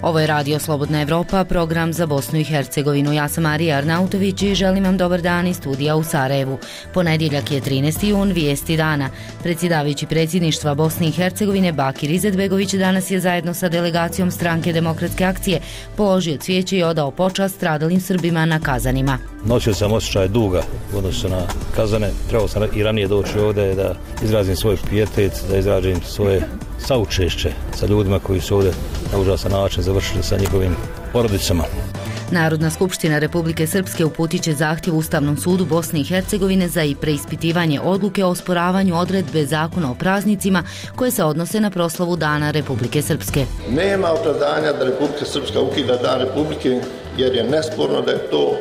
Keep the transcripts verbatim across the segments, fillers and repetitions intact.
Ovo je Radio Slobodna Evropa, program za Bosnu i Hercegovinu. Ja sam Marija Arnautović i želim vam dobar dan iz studija u Sarajevu. Ponedjeljak je trinaesti jun, vijesti dana. Predsjedavajući predsjedništva Bosne i Hercegovine Bakir Izetbegović danas je zajedno sa delegacijom Stranke demokratske akcije položio cvijeće i odao počast stradalim Srbima na Kazanima. Nosio sam osjećaj duga u odnosu na Kazane. Trebao sam i ranije doći ovdje da izrazim svoj pijetet, da izrazim svoje saučešće sa ljudima koji su ovdje na užasan način završili sa njihovim porodicama. Narodna skupština Republike Srpske uputit će zahtjev Ustavnom sudu Bosne i Hercegovine za i preispitivanje odluke o osporavanju odredbe zakona o praznicima koje se odnose na proslavu Dana Republike Srpske. Nema opravdanja da Republika Srpska ukida Dan Republike jer je nesporno da je to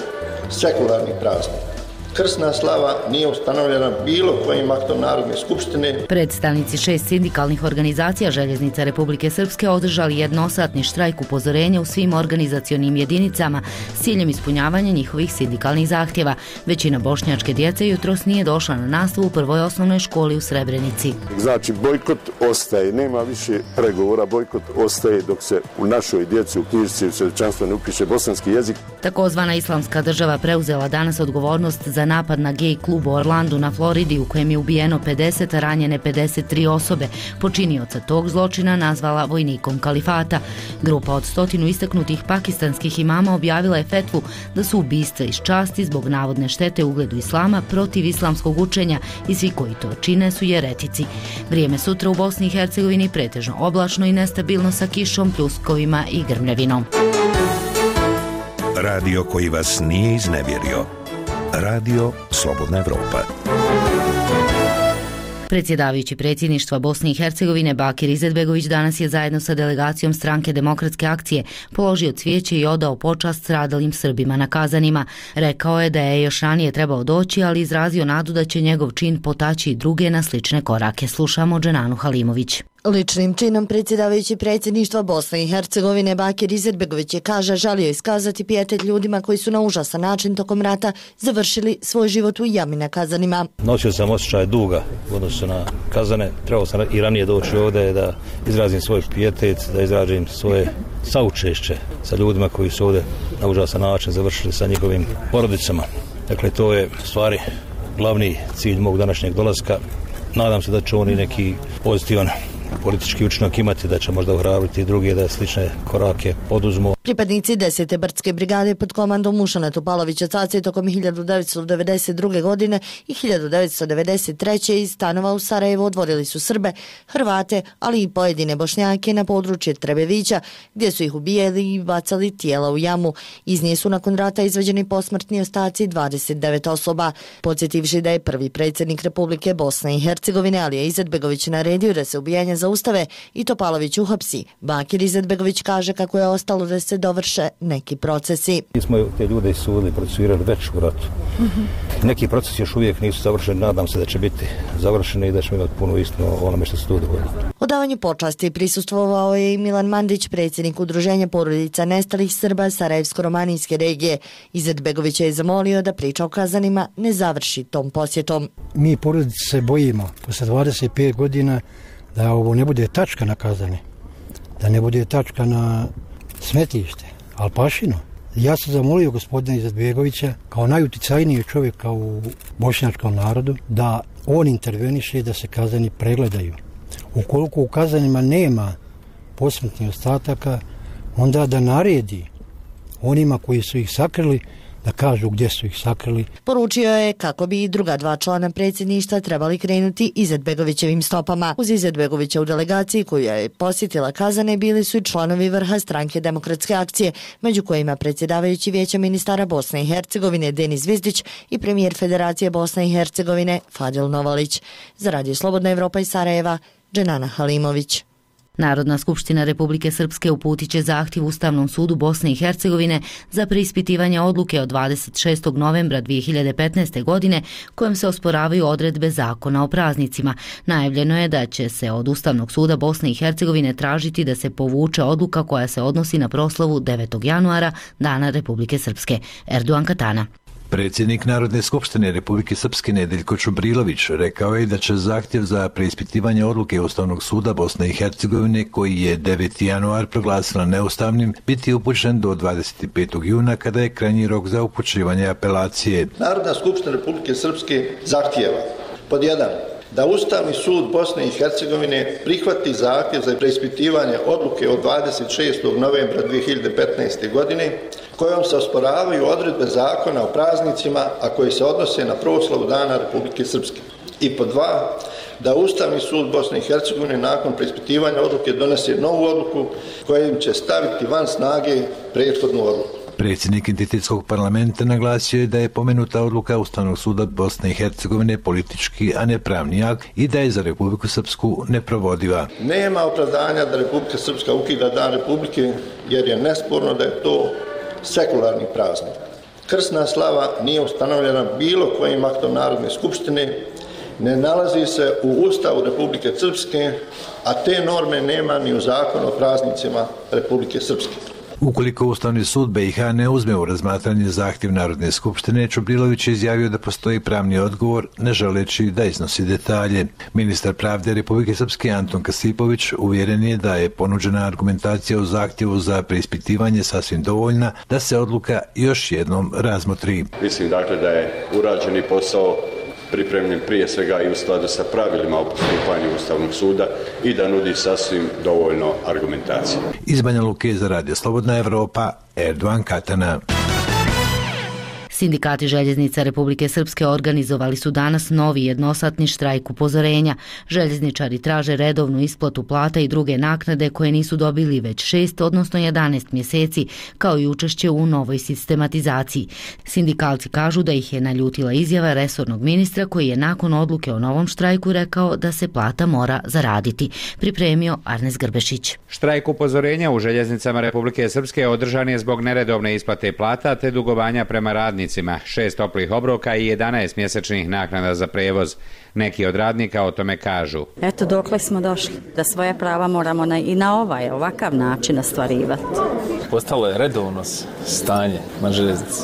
sekularni praznik. Krsna slava nije ustanovljena bilo kojim aktom Narodne skupštine. Predstavnici šest sindikalnih organizacija Željeznica Republike Srpske održali jednosatni štrajk upozorenja u svim organizacionim jedinicama s ciljem ispunjavanja njihovih sindikalnih zahtjeva. Većina bošnjačke djece jutros nije došla na nastavu u prvoj osnovnoj školi u Srebrenici. Znači bojkot ostaje, nema više pregovora, bojkot ostaje dok se u našoj djeci u knjižici u svjedočanstvu ne upiše bosanski jezik. Takozvana Islamska država preuzela danas odgovornost za napad na gej klub u Orlandu na Floridi u kojem je ubijeno pedeset, a ranjene pedeset tri osobe. Počinioca tog zločina nazvala vojnikom kalifata. Grupa od stotinu istaknutih pakistanskih imama objavila je fetvu da su ubistva iz časti zbog navodne štete ugledu islama protiv islamskog učenja i svi koji to čine su jeretici. Vrijeme sutra u Bosni i Hercegovini pretežno oblačno i nestabilno sa kišom, pljuskovima i grmljavinom. Radio koji vas nije iznevjerio. Radio Slobodna Evropa. Predsjedavajući predsjedništva Bosne i Hercegovine Bakir Izetbegović danas je zajedno sa delegacijom Stranke demokratske akcije položio cvijeće i odao počast stradalim Srbima na Kazanima. Rekao je da je još ranije trebao doći, ali izrazio nadu da će njegov čin potaći i druge na slične korake. Slušamo Dženanu Halimović. Ličnim činom predsjedavajući predsjedništva Bosne i Hercegovine Bakir Izetbegović je, kaže, želio iskazati pijetet ljudima koji su na užasan način tokom rata završili svoj život u jami na Kazanima. Nosio sam osjećaj duga u odnosu na Kazane. Trebao sam i ranije doći ovdje da izrazim svoj pijetet, da izrazim svoje saučešće sa ljudima koji su ovdje na užasan način završili sa njihovim porodicama. Dakle, to je stvari glavni cilj mog današnjeg dolaska. Nadam se da će on i neki pozitivan politički učinak imati, da će možda ohrabriti druge da slične korake poduzmu. Pripadnici desete brdske brigade pod komandom Mušana Topalovića Cace tokom hiljadu devetsto devedeset druge. godine i hiljadu devetsto devedeset treće. iz stanova u Sarajevu odvodili su Srbe, Hrvate, ali i pojedine Bošnjake na područje Trebevića, gdje su ih ubijali i bacali tijela u jamu. Iz nje su nakon rata izvađeni posmrtni ostaci dvadeset devet osoba. Podsjetivši da je prvi predsjednik Republike Bosne i Hercegovine Alija Izetbegović naredio da se ubijanja zaustave i Topalović uhapsi. Bakir Izetbegović kaže kako je ostalo da se dovrše neki procesi. Mi smo te ljude isudili, procesuirali već u ratu. Mm-hmm. Neki procesi još uvijek nisu završeni, nadam se da će biti završeni i da ćemo imati puno istinu o onome što se tu dogodilo. Odavanju počasti prisustvovao je i Milan Mandić, predsjednik Udruženja porodica nestalih Srba Sarajevsko-romanijske regije. Izetbegović je zamolio da priča o Kazanima ne završi tom posjetom. Mi porodice se bojimo posle dvadeset pet godina da ovo ne bude tačka na Kazane, da ne bude tačka na smetište, Alpašino. Ja sam zamolio gospodina Izetbegovića kao najuticajnijeg čovjeka u bošnjačkom narodu da on interveniše da se Kazani pregledaju. Ukoliko u Kazanima nema posmrtnih ostataka, onda da naredi onima koji su ih sakrili da kažu gdje su ih sakrili. Poručio je kako bi i druga dva člana predsjedništva trebali krenuti Izetbegovićevim stopama. Uz Izetbegovića u delegaciji koju je posjetila Kazane bili su i članovi vrha Stranke demokratske akcije, među kojima predsjedavajući Vijeća ministara Bosne i Hercegovine Denis Zvizdić i premijer Federacije Bosne i Hercegovine Fadil Novalić. Za Radio Slobodna Evropa iz Sarajeva, Dženana Halimović. Narodna skupština Republike Srpske uputit će zahtjev Ustavnom sudu Bosne i Hercegovine za preispitivanje odluke od dvadeset šestog novembra dvije hiljade petnaeste. godine kojom se osporavaju odredbe zakona o praznicima. Najavljeno je da će se od Ustavnog suda Bosne i Hercegovine tražiti da se povuče odluka koja se odnosi na proslavu devetog januara, Dana Republike Srpske. Erdogan Katana. Predsjednik Narodne skupštine Republike Srpske Nedeljko Čubrilović rekao je da će zahtjev za preispitivanje odluke Ustavnog suda Bosne i Hercegovine, koji je deveti januar proglasila neustavnim, biti upućen do dvadeset petog juna kada je krajnji rok za upućivanje apelacije. Narodna skupština Republike Srpske zahtijeva pod jedan da Ustavni sud Bosne i Hercegovine prihvati zahtjev za preispitivanje odluke od dvadeset šestog novembra dvije hiljade petnaeste. godine kojom se osporavaju odredbe zakona o praznicima, a koji se odnose na proslavu Dana Republike Srpske. I pod dva, da Ustavni sud Bosne i Hercegovine nakon preispitivanja odluke donese novu odluku kojim će staviti van snage prethodnu odluku. Predsjednik Entitetskog parlamenta naglasio je da je pomenuta odluka Ustavnog suda Bosne i Hercegovine politički, a ne pravni akt i da je za Republiku Srpsku neprovodiva. Nema opravdanja da Republika Srpska ukida Dan Republike, jer je nesporno da je to sekularni praznik. Krsna slava nije ustanovljena bilo kojim aktom Narodne skupštine, ne nalazi se u Ustavu Republike Srpske, a te norme nema ni u Zakonu o praznicima Republike Srpske. Ukoliko Ustavni sud B i H ne uzme u razmatranje zahtjev Narodne skupštine, Čubrilović je izjavio da postoji pravni odgovor, ne želeći da iznosi detalje. Ministar pravde Republike Srpske Anton Kasipović uvjeren je da je ponuđena argumentacija u zahtjevu za preispitivanje sasvim dovoljna da se odluka još jednom razmotri. Mislim dakle da je urađeni posao pripremljen prije svega i u skladu sa pravilima o postupanju Ustavnog suda i da nudi sasvim dovoljno argumentacije. Iz Banja Luke za Radio Slobodna Evropa, Erdovan Katana. Sindikati željeznica Republike Srpske organizovali su danas novi jednosatni štrajk upozorenja. Željezničari traže redovnu isplatu plata i druge naknade koje nisu dobili već šest, odnosno jedanaest mjeseci, kao i učešće u novoj sistematizaciji. Sindikalci kažu da ih je naljutila izjava resornog ministra koji je nakon odluke o novom štrajku rekao da se plata mora zaraditi. Pripremio Arnes Grbešić. Štrajk upozorenja u željeznicama Republike Srpske održan je zbog neredovne isplate plata te dugovanja prema radnicima. Šest toplih obroka i jedanaest mjesečnih naknada za prevoz. Neki od radnika o tome kažu. Eto dokle smo došli, da svoje prava moramo na, i na ovaj, ovakav način ostvarivati. Postalo je redovno stanje na željeznici.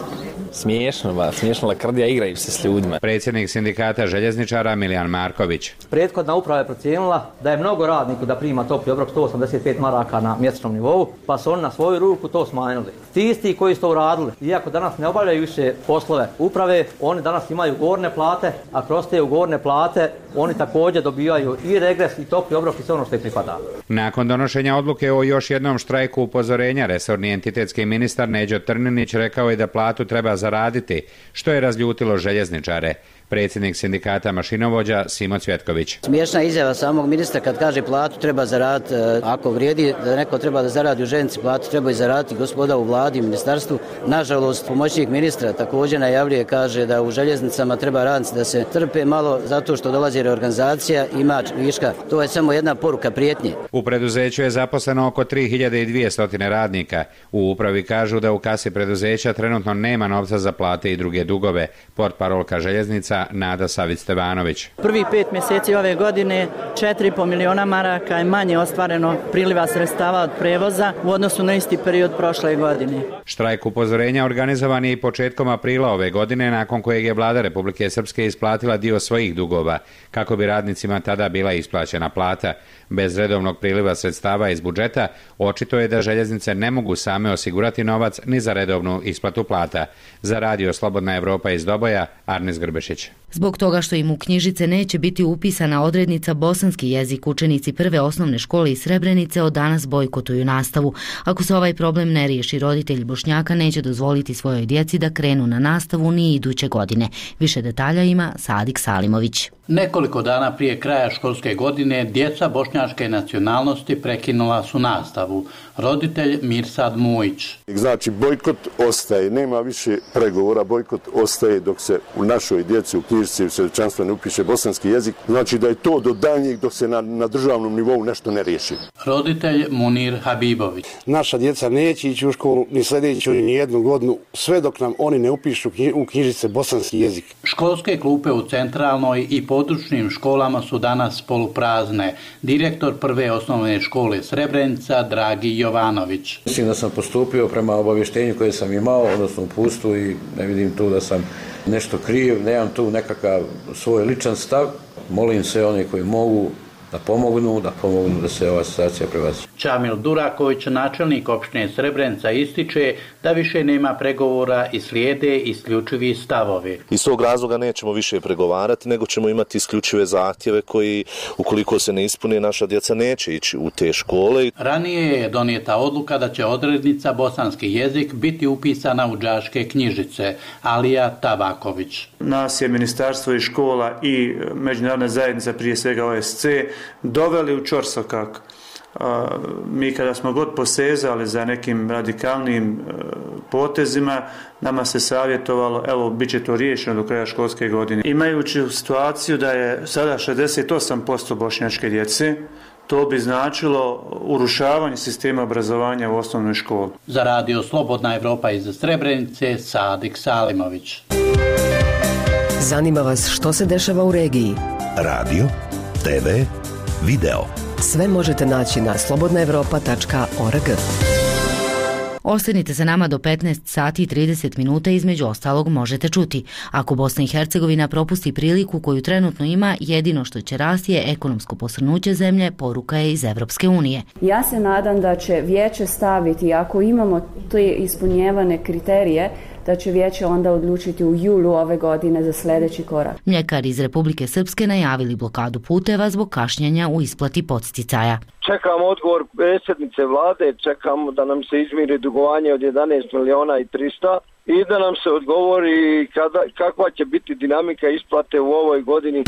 Smiješno, ba, smiješno lakrdija, igraju se s ljudima. Predsjednik sindikata željezničara Milijan Marković. Prethodna uprava je procijenila da je mnogo radniku da prima topli obrok sto osamdeset pet maraka na mjesečnom nivou, pa su oni na svoju ruku to smanjili. Ti isti koji su to uradili, iako danas ne obavljaju više poslove uprave, oni danas imaju ugovorne plate, a kroz te ugovorne plate oni također dobijaju i regres i topli obrok i sve ono što ih pripada. Nakon donošenja odluke o još jednom štrajku upozorenja, resorni entitetski ministar Neđo Trninić rekao je da platu treba zaraditi, što je razljutilo željezničare. Predsjednik sindikata mašinovođa Simo Cvjetković. Smiješna izjava samog ministra kad kaže platu treba zaraditi. Ako vrijedi da neko treba da zaradi u željeznici, platu treba i zaraditi gospoda u vladi i ministarstvu. Nažalost, pomoćnik ministra također najavljuje, kaže da u željeznicama treba radnici da se trpe malo zato što dolazi reorganizacija, ima viška. To je samo jedna poruka prijetnje. U preduzeću je zaposleno oko tri hiljade dvjesto radnika. U upravi kažu da u kasi preduzeća trenutno nema novca za plate i druge dugove. Portparolka željeznica Nada Savić-Stevanović. Prvi pet mjeseci ove godine četiri i pol miliona maraka je manje ostvareno priliva sredstava od prevoza u odnosu na isti period prošle godine. Štrajk upozorenja organizovan je i početkom aprila ove godine, nakon kojeg je vlada Republike Srpske isplatila dio svojih dugova, kako bi radnicima tada bila isplaćena plata. Bez redovnog priliva sredstava iz budžeta, očito je da željeznice ne mogu same osigurati novac ni za redovnu isplatu plata. Za Radio Slobodna Evropa iz Doboja, Arnes Grbešić. Zbog toga što im u knjižice neće biti upisana odrednica bosanski jezik, učenici prve osnovne škole iz Srebrenice od danas bojkotuju nastavu. Ako se ovaj problem ne riješi, roditelji Bošnjaka neće dozvoliti svojoj djeci da krenu na nastavu ni iduće godine. Više detalja ima Sadik Salimović. Nekoliko dana prije kraja školske godine djeca bošnjačke nacionalnosti prekinula su nastavu. Roditelj Mirsad Mujić. Znači bojkot ostaje, nema više pregovora, bojkot ostaje dok se u našoj djeci u knjižici u svjedočanstvu ne upiše bosanski jezik, znači da je to do daljnjeg dok se na, na državnom nivou nešto ne riješi. Roditelj Munir Habibović. Naša djeca neće ići u školu ni sljedeću ni jednu godinu, sve dok nam oni ne upišu u knjižice bosanski jezik. Školske klupe u centralnoj i područnim školama su danas poluprazne. Direktor prve osnovne škole Srebrenica Dragi Jovanović. Mislim da sam postupio prema obavještenju koje sam imao, odnosno uputstvu, i ne vidim tu da sam nešto kriv, nemam tu nekakav svoj ličan stav. Molim sve one koji mogu da pomognu, da pomognu da se ova situacija prebaci. Čamil Duraković, načelnik opštine Srebrenica, ističe da više nema pregovora i slijede isključivi stavovi. Iz tog razloga nećemo više pregovarati, nego ćemo imati isključive zahtjeve koji, ukoliko se ne ispune, naša djeca neće ići u te škole. Ranije je donijeta odluka da će odrednica bosanski jezik biti upisana u đačke knjižice. Alija Tabaković. Nas je ministarstvo i škola i međunarodna zajednica, prije svega O S C, doveli u ćorsokak. Mi kada smo god posezali za nekim radikalnim potezima, nama se savjetovalo, evo, bit će to riješeno do kraja školske godine. Imajući situaciju da je sada šezdeset osam posto bošnjačke djece, to bi značilo urušavanje sistema obrazovanja u osnovnoj školi. Za radio Slobodna Evropa iz Srebrenice, Sadik Salimović. Zanima vas što se dešava u regiji? Radio, te ve, video. Sve možete naći na slobodna evropa tačka org. Ostanite sa nama do petnaest sati i trideset minuta, između ostalog možete čuti. Ako Bosna i Hercegovina propusti priliku koju trenutno ima, jedino što će rasti je ekonomsko posrnuće zemlje, poruka je iz Evropske unije. Ja se nadam da će vijeće staviti, ako imamo te ispunjevane kriterije, da će vijeće onda odlučiti u julu ove godine za sljedeći korak. Mljekari iz Republike Srpske najavili blokadu puteva zbog kašnjenja u isplati podsticaja. Čekamo odgovor predsjednice vlade, čekamo da nam se izmiri dugovanje od jedanaest miliona i trista i da nam se odgovori kada, kakva će biti dinamika isplate u ovoj godini.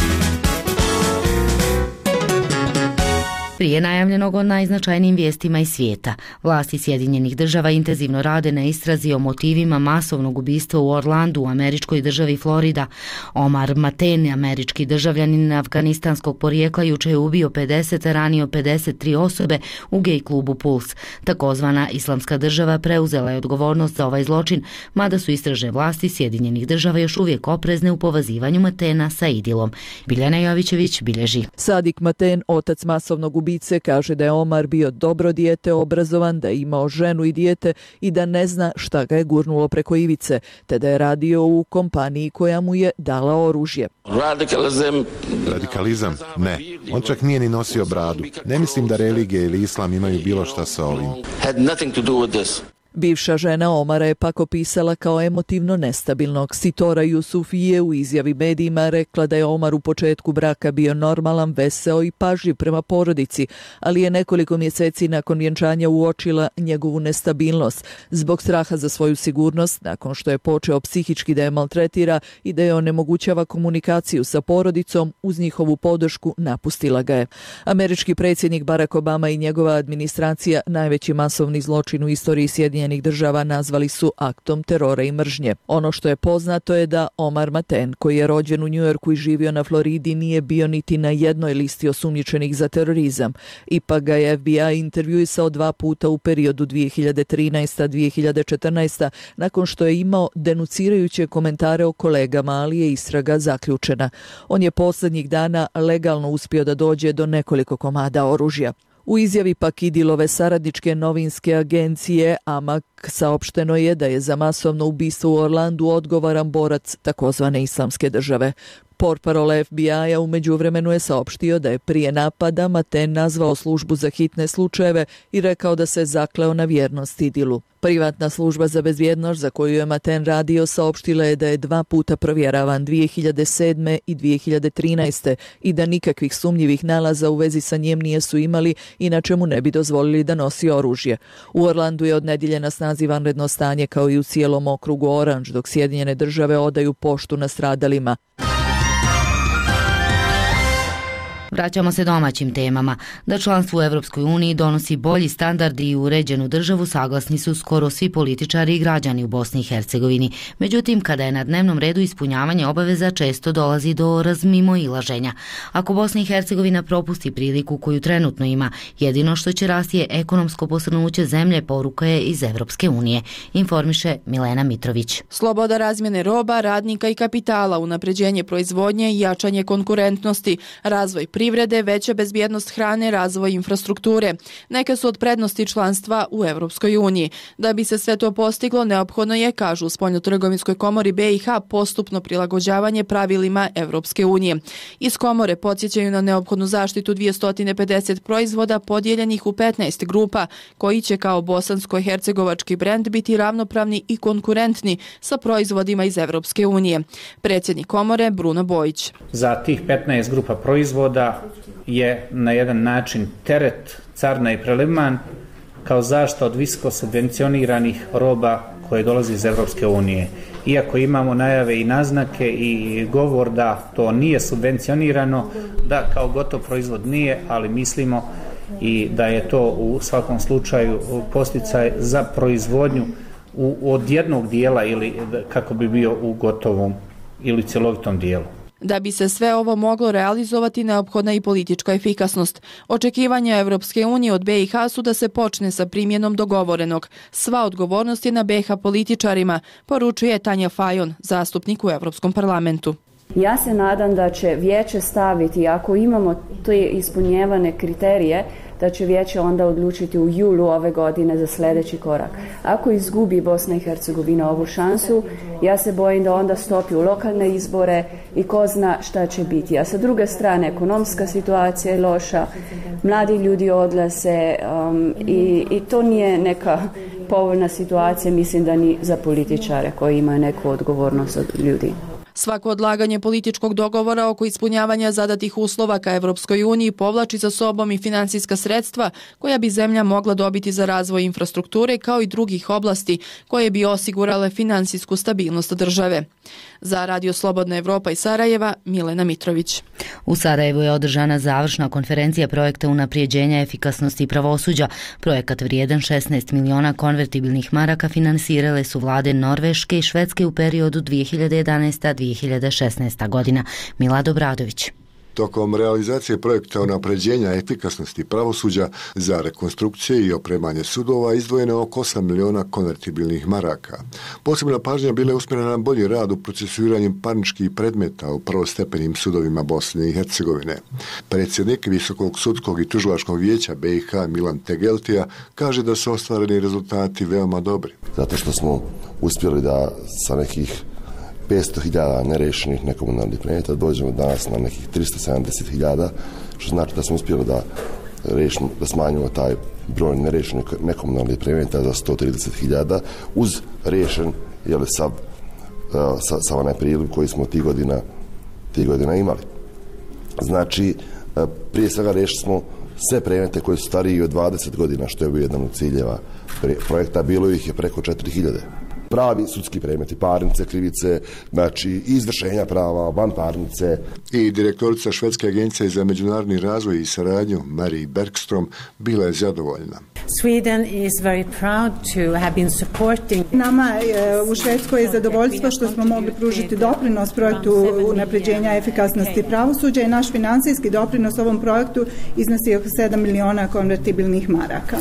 Prije najavljenog o najznačajnijim vijestima iz svijeta, vlasti Sjedinjenih država intenzivno rade na istrazi o motivima masovnog ubistva u Orlandu u američkoj državi Florida. Omar Maten, američki državljanin afganistanskog porijekla, juče je ubio pedeset, a ranio pedeset tri osobe u gej klubu Puls. Takozvana Islamska država preuzela je odgovornost za ovaj zločin, mada su istražne vlasti Sjedinjenih država još uvijek oprezne u povezivanju Matena sa Idilom. Biljana Jovićević bilježi. Sadik Maten, otac masovnog ubistva, kaže da je Omar bio dobro dijete, obrazovan, da je imao ženu i dijete i da ne zna šta ga je gurnulo preko ivice, te da je radio u kompaniji koja mu je dala oružje. Radikalizam? Radikalizam? Ne. On čak nije ni nosio bradu. Ne mislim da religija ili islam imaju bilo šta sa ovim. Had nothing to do with this. Bivša žena Omara je pak opisala kao emotivno nestabilnog. Sitora Jusufije u izjavi medijima rekla da je Omar u početku braka bio normalan, veseo i pažljiv prema porodici, ali je nekoliko mjeseci nakon vjenčanja uočila njegovu nestabilnost zbog straha za svoju sigurnost, nakon što je počeo psihički da je maltretira i da je onemogućava komunikaciju sa porodicom, uz njihovu podršku napustila ga je. Američki predsjednik Barack Obama i njegova administracija najveći masovni zločin u istoriji Sjedinjenih država nazvali su aktom terora i mržnje. Ono što je poznato je da Omar Maten, koji je rođen u Njujorku i živio na Floridi, nije bio niti na jednoj listi osumnjičenih za terorizam. Ipak ga je F B I intervjuisao dva puta u periodu dvije hiljade trinaesta do dvije hiljade četrnaeste. nakon što je imao denucirajuće komentare o kolegama, ali je istraga zaključena. On je posljednjih dana legalno uspio da dođe do nekoliko komada oružja. U izjavi pak Idilove saradničke novinske agencije A M A K saopšteno je da je za masovno ubistvo u Orlandu odgovoran borac takozvane Islamske države. Portparol F B I-a u međuvremenu je saopštio da je prije napada Maten nazvao službu za hitne slučajeve i rekao da se zakleo na vjernost Idilu. Privatna služba za bezbjednost za koju je Maten radio saopštila je da je dva puta provjeravan dvije hiljade sedme i dvije hiljade trinaeste i da nikakvih sumnjivih nalaza u vezi sa njim nisu imali, inače mu ne bi dozvolili da nosi oružje. U Orlandu je od nedjelje na snazi vanredno stanje kao i u cijelom okrugu Orange, dok Sjedinjene države odaju poštu nastradalima. Vraćamo se domaćim temama. Da članstvo u Evropskoj uniji donosi bolji standard i uređenu državu saglasni su skoro svi političari i građani u Bosni i Hercegovini. Međutim, kada je na dnevnom redu ispunjavanje obaveza, često dolazi do razmimoilaženja. Ako Bosna i Hercegovina propusti priliku koju trenutno ima, jedino što će rasti je ekonomsko posrnuće zemlje, poruka je iz Evropske unije, informiše Milena Mitrović. Sloboda razmjene roba, radnika i kapitala, unapređenje proizvodnje i jačanje konkurentnosti, razvoj privrede, veća bezbjednost hrane, razvoj infrastrukture. Neke su od prednosti članstva u Evropskoj uniji. Da bi se sve to postiglo, neophodno je, kažu u Spoljnotrgovinskoj komori B i H, postupno prilagođavanje pravilima Evropske unije. Iz komore podsjećaju na neophodnu zaštitu dvjesto pedeset proizvoda podijeljenih u petnaest grupa, koji će kao bosansko-hercegovački brend biti ravnopravni i konkurentni sa proizvodima iz Evropske unije. Predsjednik komore Bruno Bojić. Za tih petnaest grupa proizvoda je na jedan način teret carina i preliman kao zaštita od visoko subvencioniranih roba koje dolazi iz Evropske unije. Iako imamo najave i naznake i govor da to nije subvencionirano, da kao gotov proizvod nije, ali mislimo i da je to u svakom slučaju posticaj za proizvodnju u, od jednog dijela ili kako bi bio u gotovom ili cjelovitom dijelu. Da bi se sve ovo moglo realizovati, neophodna i politička efikasnost. Očekivanja Evropske unije od B i H su da se počne sa primjenom dogovorenog. Sva odgovornost je na B i H političarima, poručuje Tanja Fajon, zastupnik u Evropskom parlamentu. Ja se nadam da će vijeće staviti, ako imamo te ispunjevane kriterije, da će vijeće onda odlučiti u julu ove godine za sljedeći korak. Ako izgubi Bosna i Hercegovina ovu šansu, ja se bojim da onda stopi u lokalne izbore i ko zna šta će biti. A sa druge strane, ekonomska situacija je loša, mladi ljudi odlaze um, i, i to nije neka povoljna situacija, mislim da ni za političare koji imaju neku odgovornost od ljudi. Svako odlaganje političkog dogovora oko ispunjavanja zadatih uslova ka Evropskoj uniji povlači za sobom i financijska sredstva koja bi zemlja mogla dobiti za razvoj infrastrukture kao i drugih oblasti koje bi osigurale finansijsku stabilnost države. Za Radio Slobodna Evropa iz Sarajeva, Milena Mitrović. U Sarajevu je održana završna konferencija projekta unaprijeđenja efikasnosti pravosuđa. Projekat vrijedan šesnaest miliona konvertibilnih maraka finansirale su vlade Norveške i Švedske u periodu dvije hiljade jedanaesta do dvije hiljade šesnaesta godina. Milad Obradović. Tokom realizacije projekta unapređenja efikasnosti pravosuđa za rekonstrukcije i opremanje sudova izdvojeno je oko osam miliona konvertibilnih maraka. Posebna pažnja bila je usmjerena na bolji rad u procesuiranju parničkih predmeta u prvostepenim sudovima Bosne i Hercegovine. Predsjednik Visokog sudskog i tužilačkog vijeća B i H Milan Tegeltija kaže da su ostvareni rezultati veoma dobri. Zato što smo uspjeli da sa nekih petsto hiljada nerešenih nekomunalnih predmeta dođemo danas na nekih tristo sedamdeset hiljada, što znači da smo uspjeli da, rešimo, da smanjimo taj broj nerešenih nekomunalnih predmeta za sto trideset hiljada uz rešen jeli, sa, sa, sa onaj priliv koji smo tih godina, tih godina imali. Znači, prije svega rešili smo sve predmete koji su stariji od dvadeset godina, što je bio jedan od ciljeva projekta, bilo ih je preko četiri hiljade. Pravi sudski predmeti, parnice, krivice, znači izvršenja prava, vanparnice. I direktorica Švedske agencije za međunarodni razvoj i saradnju, Marie Bergstrom, bila je zadovoljna. Sweden is very proud to have been supporting. Nama je u Švedskoj je zadovoljstvo što smo mogli pružiti doprinos projektu unapređenja efikasnosti pravosuđa i naš financijski doprinos ovom projektu iznosi oko sedam miliona konvertibilnih maraka.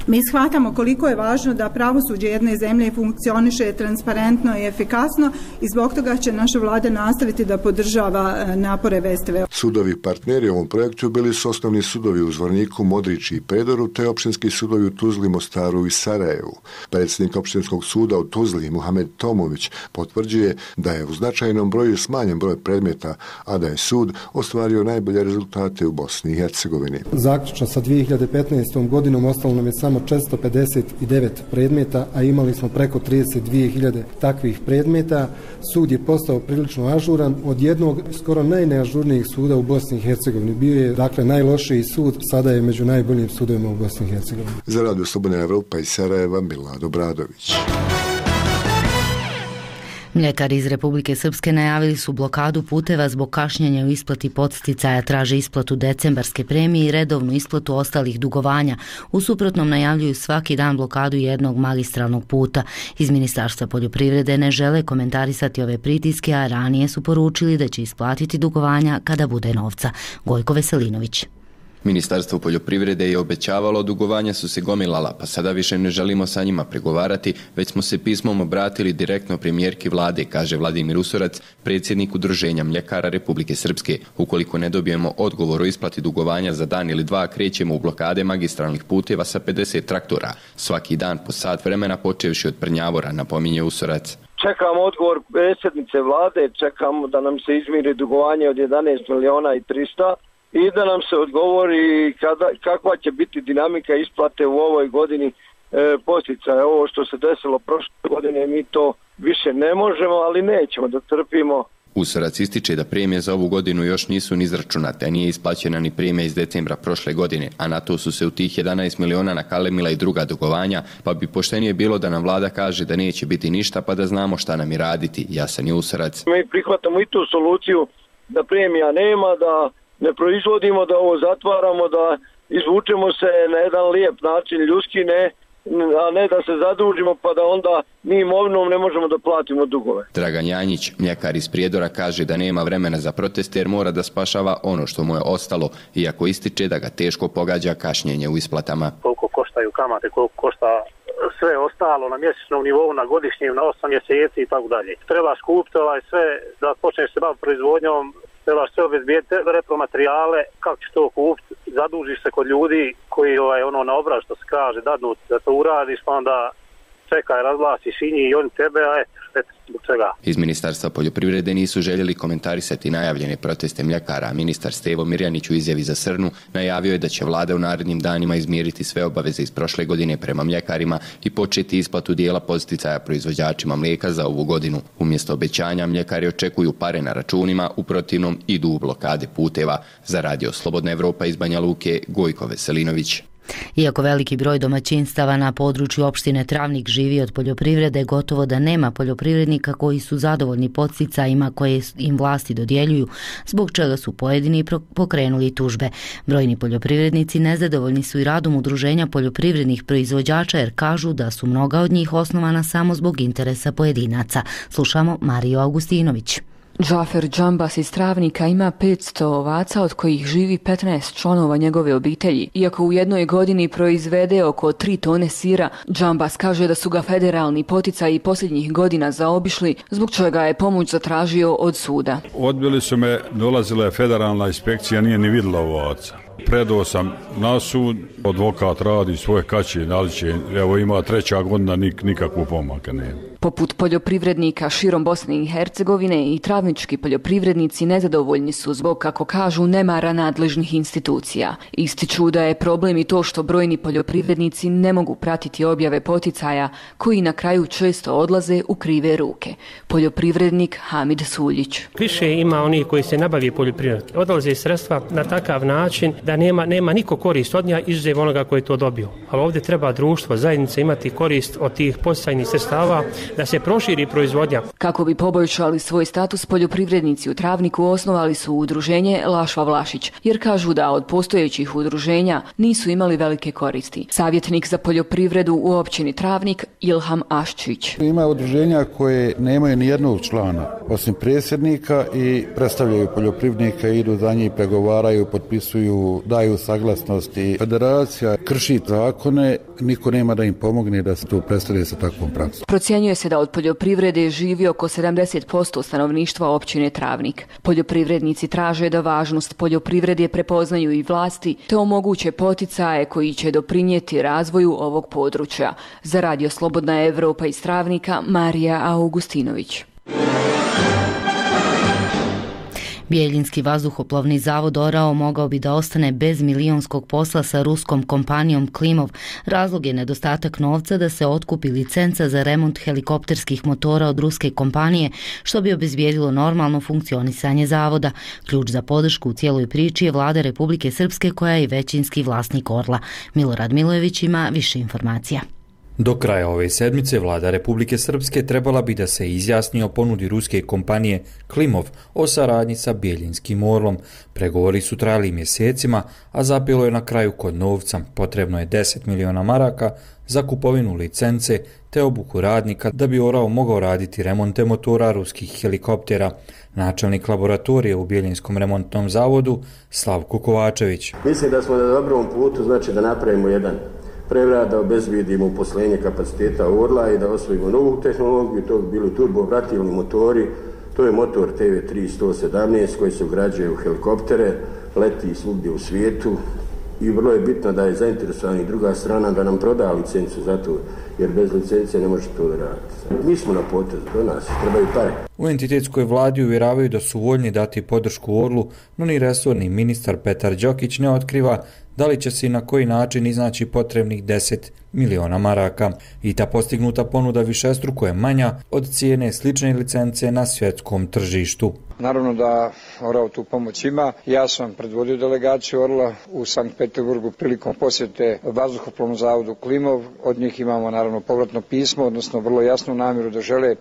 Mi shvatamo koliko je važno da pravosuđe jedne zemlje funkcioniše transparentno i efikasno i zbog toga će naša vlada nastaviti da podržava napore V S T V. Sudovi partneri u ovom projektu bili su osnovni sudovi u Zvorniku, Modrići i Predoru te opštinski sudovi u Tuzli, Mostaru i Sarajevu. Predsjednik opštinskog suda u Tuzli, Muhamed Tomović, potvrđuje da je u značajnom broju smanjen broj predmeta, a da je sud ostvario najbolje rezultate u Bosni i Hercegovini. Zaključno sa dvije hiljade petnaestom godinom ostalo nam je samo četiristo pedeset devet predmeta, a imali smo preko trideset dvije hiljade takvih predmeta. Sud je postao prilično ažuran od jednog skoro najneažurnijih suda u Bosni i Hercegovini. Bio je dakle najlošiji sud, sada je među najboljim sudovima u Bosni i Hercegovini. Za Radio Slobodna Evropa iz Sarajeva, Milad Obradović. Mljekari iz Republike Srpske najavili su blokadu puteva zbog kašnjenja u isplati podsticaja, traže isplatu decembarske premije i redovnu isplatu ostalih dugovanja. U suprotnom najavljuju svaki dan blokadu jednog magistralnog puta. Iz Ministarstva poljoprivrede ne žele komentarisati ove pritiske, a ranije su poručili da će isplatiti dugovanja kada bude novca. Gojko Veselinović. Ministarstvo poljoprivrede je obećavalo, dugovanja su se gomilala, pa sada više ne želimo sa njima pregovarati, već smo se pismom obratili direktno premijerki vlade, kaže Vladimir Usorac, predsjednik Udruženja mljekara Republike Srpske. Ukoliko ne dobijemo odgovor o isplati dugovanja za dan ili dva, krećemo u blokade magistralnih puteva sa pedeset traktora. Svaki dan po sat vremena, počevši od Prnjavora, napominje Usorac. Čekamo odgovor predsjednice vlade, čekamo da nam se izmiri dugovanje od jedanaest miliona i trista. I da nam se odgovori kada, kakva će biti dinamika isplate u ovoj godini e, posticaja. Ovo što se desilo prošle godine, mi to više ne možemo, ali nećemo da trpimo. Usorac ističe da premije za ovu godinu još nisu ni izračunate, a nije isplaćena ni premija iz decembra prošle godine, a na to su se u tih jedanaest miliona nakalemila i druga dugovanja, pa bi poštenije bilo da nam vlada kaže da neće biti ništa, pa da znamo šta nam i raditi, jasan je Usorac. Mi prihvatamo i tu soluciju da premija nema, da ne proizvodimo, da ovo zatvaramo, da izvučemo se na jedan lijep način ljudski, ne, a ne da se zadužimo pa da onda mi imovinom ne možemo da platimo dugove. Dragan Janjić, mljekar iz Prijedora, kaže da nema vremena za proteste jer mora da spašava ono što mu je ostalo, iako ističe da ga teško pogađa kašnjenje u isplatama. Koliko koštaju kamate, koliko košta sve ostalo na mjesečnom nivou, na godišnjem, na osam mjeseci i tako dalje. Treba skupiti ovaj sve da počneš se baviti proizvodnjom, trebaš sve obezbijeti repromaterijale, kako ćeš to kupiti, zadužiš se kod ljudi koji ovaj, ono na obraz što se kaže, dadnu da to uradiš, pa onda čekaj, razglasiš i njih i oni tebe, a eto, eto, zbog čega. Iz Ministarstva poljoprivrede nisu željeli komentarisati najavljene proteste mljekara. Ministar Stevo Mirjanić u izjavi za Srnu najavio je da će vlada u narednim danima izmiriti sve obaveze iz prošle godine prema mljekarima i početi isplatu dijela podsticaja proizvođačima mlijeka za ovu godinu. Umjesto obećanja, mljekari očekuju pare na računima, u protivnom idu u blokade puteva. Za Radio Slobodna Evropa iz Banja Luke, Gojko Veselinović. Iako veliki broj domaćinstava na području opštine Travnik živi od poljoprivrede, gotovo da nema poljoprivrednika koji su zadovoljni podsticajima koje im vlasti dodjeljuju, zbog čega su pojedini pokrenuli tužbe. Brojni poljoprivrednici nezadovoljni su i radom udruženja poljoprivrednih proizvođača jer kažu da su mnoga od njih osnovana samo zbog interesa pojedinaca. Slušamo Mariju Augustinović. Džafer Džambas iz Travnika ima petsto ovaca od kojih živi petnaest članova njegove obitelji. Iako u jednoj godini proizvede oko tri tone sira, Džambas kaže da su ga federalni poticaji posljednjih godina zaobišli, zbog čega je pomoć zatražio od suda. Odbili su me, dolazila je federalna inspekcija, nije ni vidjela ovaca. Predao sam na sud, advokat radi svoje kaće, ali će, evo ima treća godina, nik, nikakvu pomaka nema. Poput poljoprivrednika širom Bosne i Hercegovine i travnički poljoprivrednici nezadovoljni su zbog, kako kažu, nemara nadležnih institucija. Ističu da je problem i to što brojni poljoprivrednici ne mogu pratiti objave poticaja koji na kraju često odlaze u krive ruke. Poljoprivrednik Hamid Suljić. Više ima onih koji se nabavi poljoprivredom. Odlaze sredstva na takav način da nema, nema niko korist od nja izuzev onoga koji je to dobio. Ali ovdje treba društvo, zajednica imati korist od tih podsticajnih sredstava da se proširi proizvodnja. Kako bi poboljšali svoj status, poljoprivrednici u Travniku osnovali su udruženje Lašva Vlašić, jer kažu da od postojećih udruženja nisu imali velike koristi. Savjetnik za poljoprivredu u općini Travnik Ilham Aščić. Ima udruženja koje nemaju ni jednog člana, osim predsjednika, i predstavljaju poljoprivrednika, idu za njih, pregovaraju, potpisuju, daju saglasnosti. Federacija krši zakone, niko nema da im pomogne da se to predstavlja sa takvom praksom. Procjenjuje se da od poljoprivrede živi oko sedamdeset posto stanovništva općine Travnik. Poljoprivrednici traže da važnost poljoprivrede prepoznaju i vlasti te omoguće poticaje koji će doprinijeti razvoju ovog područja. Za Radio Slobodna Evropa iz Travnika, Marija Augustinović. Bijeljinski vazduhoplovni zavod Orao mogao bi da ostane bez milionskog posla sa ruskom kompanijom Klimov. Razlog je nedostatak novca da se otkupi licenca za remont helikopterskih motora od ruske kompanije, što bi obezbijedilo normalno funkcionisanje zavoda. Ključ za podršku u cijeloj priči je vlada Republike Srpske, koja je većinski vlasnik Orla. Milorad Milojević ima više informacija. Do kraja ove sedmice vlada Republike Srpske trebala bi da se izjasni o ponudi ruske kompanije Klimov o saradnji sa Bijeljinskim Orlom. Pregovori su trajali mjesecima, a zapelo je na kraju kod novca. Potrebno je deset miliona maraka za kupovinu licence te obuku radnika da bi Orao mogao raditi remonte motora ruskih helikoptera. Načelnik laboratorije u Bijeljinskom remontnom zavodu Slavko Kovačević. Mislim da smo na dobrom putu, znači da napravimo jedan prevrat, da obezbijedimo uposlenje kapaciteta Orla i da osvojimo novu tehnologiju, to bi bili turbovratilni motori, to je motor T V tri sto sedamnaest koji se ugrađuje u helikoptere, leti svugdje u svijetu i vrlo je bitno da je zainteresovana i druga strana da nam proda licencu za to, jer bez licence ne može to da raditi. Mi smo na potezu, do nas trebaju pare. U entitetskoj vladi uvjeravaju da su voljni dati podršku Orlu, no ni resorni ministar Petar Đokić ne otkriva da li će se i na koji način iznaći potrebnih deset miliona maraka. I ta postignuta ponuda višestruko je manja od cijene slične licence na svjetskom tržištu. Naravno da Orao tu pomoć ima. Ja sam predvodio delegaciju Orla u Sankt Peterburgu prilikom posjete vazduhoplovnom zavodu Klimov. Od njih imamo naravno povratno pismo, odnosno vrlo jasnu namjeru da žele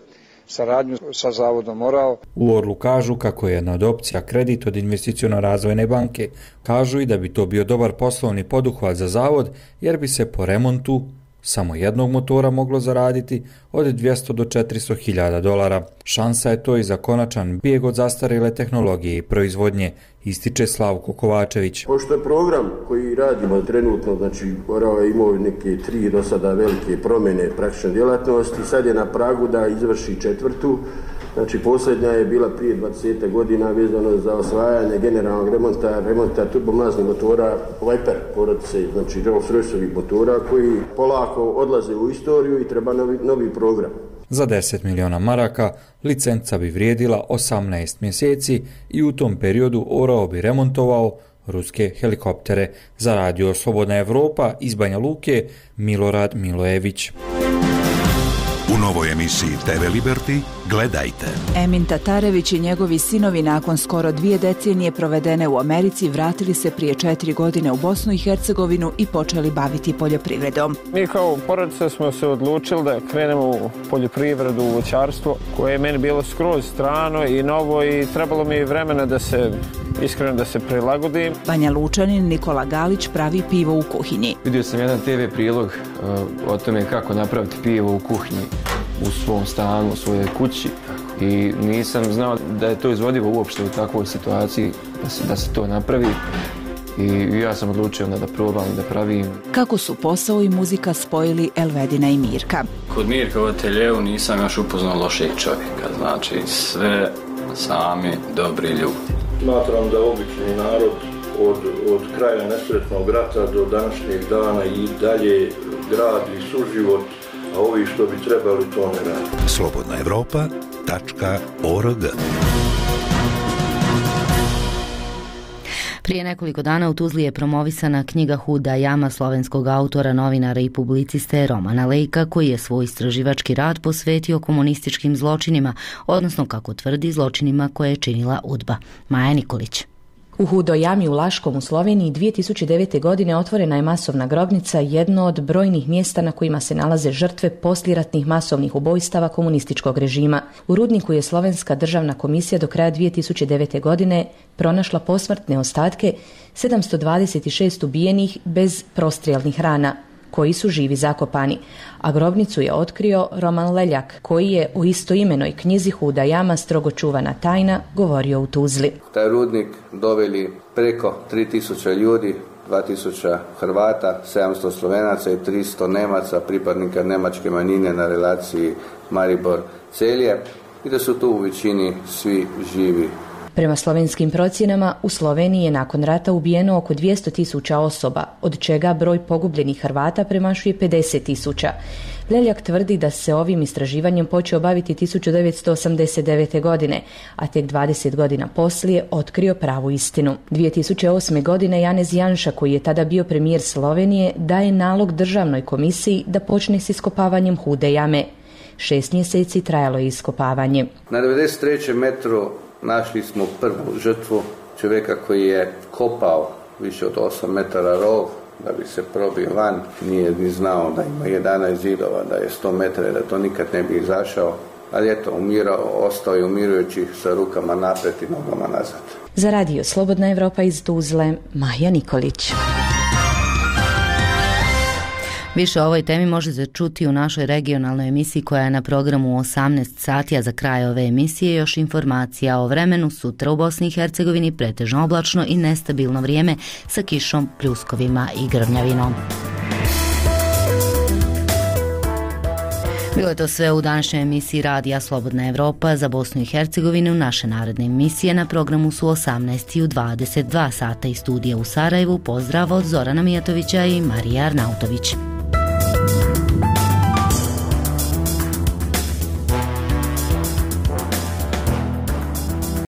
saradnju sa zavodom Orao. U Orlu kažu kako je jedna od opcija kredit od investiciono-razvojne banke. Kažu i da bi to bio dobar poslovni poduhvat za zavod, jer bi se po remontu samo jednog motora moglo zaraditi od dvjesto do četiristo hiljada dolara. Šansa je to i za konačan bijeg od zastarjele tehnologije i proizvodnje, ističe Slavko Kovačević. Pošto je program koji radimo trenutno, znači Orao je imao neke tri do sada velike promjene praktične djelatnosti, sad je na pragu da izvrši četvrtu. Znači posljednja je bila prije dvadeset godina vezano za osvajanje generalnog remonta, remonta turbomaznih motora Viper, porodice, znači Rolls-Royceovih motora koji polako odlaze u istoriju i treba novi, novi program. Za deset miliona maraka licenca bi vrijedila osamnaest mjeseci i u tom periodu Orao bi remontovao ruske helikoptere. Za radio Slobodna Evropa iz Banja Luke, Milorad Milojević. U novoj emisiji T V Liberty gledajte. Emin Tatarević i njegovi sinovi nakon skoro dvije decenije provedene u Americi vratili se prije četiri godine u Bosnu i Hercegovinu i počeli baviti poljoprivredom. Mi kao porodica smo se odlučili da krenemo u poljoprivredu, u voćarstvo, koje je meni bilo skroz strano i novo i trebalo mi vremena da se iskreno da se prilagodim. Banja Lučanin Nikola Galić pravi pivo u kuhinji. Vidio sam jedan te ve prilog uh, o tome kako napraviti pivo u kuhinji, u svom stanu, u svojoj kući i nisam znao da je to izvodivo uopšte u takvoj situaciji, da se, da se to napravi. I ja sam odlučio onda da probam, da pravim. Kako su posao i muzika spojili Elvedina i Mirka. Kod Mirka u ateljevu nisam još upoznao lošeg čovjeka, znači sve sami dobri ljudi. Smatram da obični narod od, od kraja nesretnog rata do današnjeg dana i dalje gradi suživot, a ovi što bi trebali to ne radi. Slobodna Evropa tačka org. Prije nekoliko dana u Tuzli je promovisana knjiga Huda jama slovenskog autora, novinara i publiciste Romana Lejka, koji je svoj istraživački rad posvetio komunističkim zločinima, odnosno, kako tvrdi, zločinima koje je činila UDBA. Maja Nikolić. U Hudoj jami u Laškom u Sloveniji dvije tisuće devete. godine otvorena je masovna grobnica, jedno od brojnih mjesta na kojima se nalaze žrtve posliratnih masovnih ubojstava komunističkog režima. U rudniku je Slovenska državna komisija do kraja dvije tisuće devete. godine pronašla posmrtne ostatke sedamsto dvadeset šest ubijenih bez prostrijelnih rana, koji su živi zakopani, a grobnicu je otkrio Roman Leljak, koji je u istoimenoj knjizi Huda jama, strogo čuvana tajna, govorio u Tuzli. Taj rudnik doveli preko tri tisuće ljudi, dva tisuća Hrvata, sedamsto Slovenaca i tristo Nemaca, pripadnika nemačke manjine na relaciji Maribor-Celje i da su tu u većini svi živi. Prema slovenskim procjenama, u Sloveniji je nakon rata ubijeno oko dvjesto tisuća osoba, od čega broj pogubljenih Hrvata premašuje pedeset tisuća. Leljak tvrdi da se ovim istraživanjem počeo baviti tisuću devetsto osamdeset devete. godine, a tek dvadeset godina poslije otkrio pravu istinu. dvije tisuće osme. godine Janez Janša, koji je tada bio premijer Slovenije, daje nalog državnoj komisiji da počne s iskopavanjem Hude jame. Šest mjeseci trajalo je iskopavanje. Na devedeset trećem metru našli smo prvu žrtvu, čovjeka koji je kopao više od osam metara rov da bi se probio van, nije ni znao da ima jedanaest zidova, da je sto metara, da to nikad ne bi izašao, ali eto, umirao, ostao je umirujući sa rukama napred i nogama nazad. Za radio Slobodna Evropa iz Tuzle, Maja Nikolić. Više o ovoj temi možete čuti u našoj regionalnoj emisiji koja je na programu u osamnaest sati, a za kraj ove emisije još informacija o vremenu. Sutra u Bosni i Hercegovini pretežno oblačno i nestabilno vrijeme sa kišom, pljuskovima i grmljavinom. Bilo je to sve u današnjoj emisiji radija Slobodna Evropa za Bosnu i Hercegovinu. Naše naredne emisije na programu su osamnaest i u dvadeset dva sata iz studija u Sarajevu. Pozdrav od Zorana Mijatovića i Marije Arnautović.